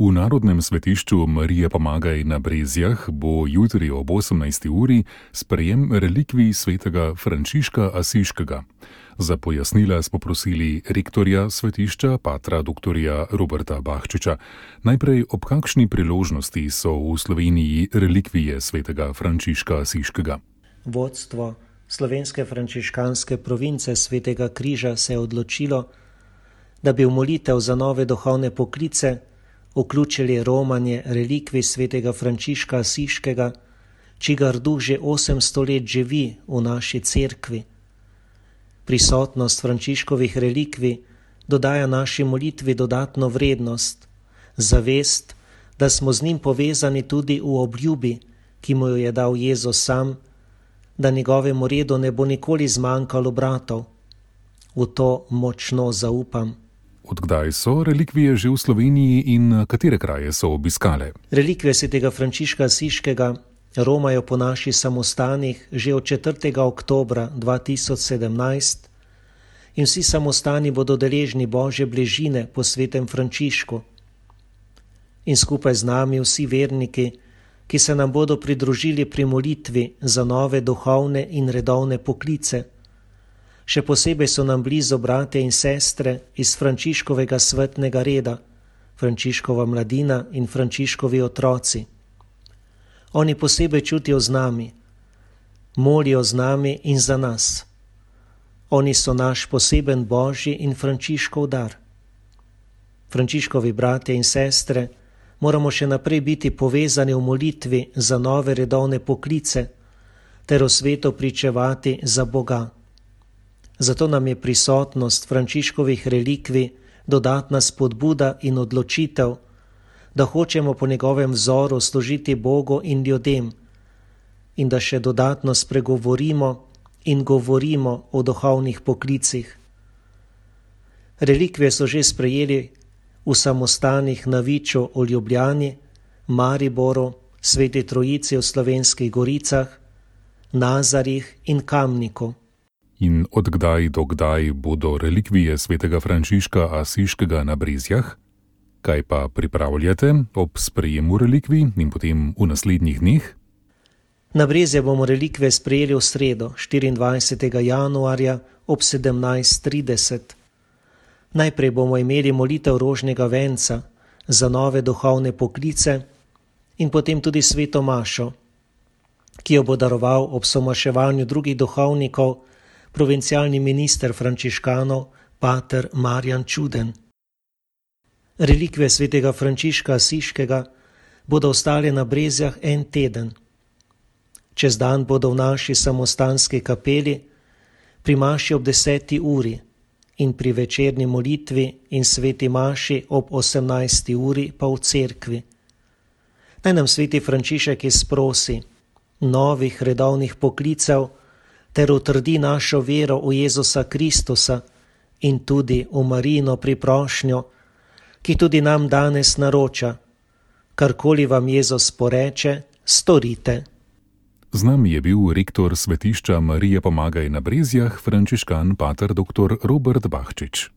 V Narodnem svetišču Marije Pomagaj na Brezjah bo jutri ob 18. uri sprejem relikvij svetega Frančiška Asiškega. Za pojasnila smo prosili rektorja svetišča, patra doktorja Roberta Bahčiča. Najprej, ob kakšni priložnosti so v Sloveniji relikvije svetega Frančiška Asiškega? Vodstvo slovenske frančiškanske province Svetega križa se je odločilo, da bi v molitev za nove duhovne poklice vključili romanje relikvij svetega Frančiška Asiškega, čigar duh že 800 let živi v naši cerkvi. Prisotnost Frančiškovih relikvij dodaja naši molitvi dodatno vrednost, zavest, da smo z njim povezani tudi v obljubi, ki mu jo je dal Jezus sam, da njegovemu redu ne bo nikoli zmanjkalo bratov. V to močno zaupam. Od kdaj so relikvije že v Sloveniji in katere kraje so obiskale? Relikvije svetega Frančiška Asiškega romajo po naših samostanih že od 4. oktobra 2017 in vsi samostani bodo deležni Božje bližine po svetem Frančišku. In skupaj z nami vsi verniki, ki se nam bodo pridružili pri molitvi za nove duhovne in redovne poklice. Še posebej so nam blizu bratje in sestre iz Frančiškovega svetnega reda, Frančiškova mladina in Frančiškovi otroci. Oni posebej čutijo z nami, molijo z nami in za nas. Oni so naš poseben Božji in Frančiškov dar. Frančiškovi bratje in sestre moramo še naprej biti povezani v molitvi za nove redovne poklice ter v svetu pričevati za Boga. Zato nam je prisotnost Frančiškovih relikvij dodatna spodbuda in odločitev, da hočemo po njegovem vzoru služiti Bogu in ljudem in da še dodatno spregovorimo in govorimo o duhovnih poklicih. Relikvije so že sprejeli v samostanih na Viču v Ljubljani, Mariboru, Sveti Trojici v Slovenskih Goricah, Nazarjih in Kamniku. In od kdaj do kdaj bodo relikvije svetega Frančiška Asiškega na Brezjah? Kaj pa pripravljate ob sprejemu relikvij in potem v naslednjih dneh? Na Brezje bomo relikvije sprejeli v sredo, 24. januarja ob 17:30. Najprej bomo imeli molitev rožnega venca za nove duhovne poklice in potem tudi sveto mašo, ki jo bo daroval ob somaševanju drugih duhovnikov provincialni minister frančiškanov, pater Marjan Čuden. Relikvije svetega Frančiška Asiškega bodo ostale na Brezjah en teden. Čez dan bodo v naši samostanski kapeli pri maši ob 10. uri in pri večerni molitvi in sveti maši ob 18. uri pa v cerkvi. Naj nam sveti Frančišek izprosi novih redovnih poklicev ter utrdi našo vero v Jezusa Kristusa in tudi v Marijino priprošnjo, ki tudi nam danes naroča: karkoli vam Jezus poreče, storite. Z nami je bil rektor svetišča Marije Pomagaj na Brezjah, frančiškan pater dr. Robert Bahčič.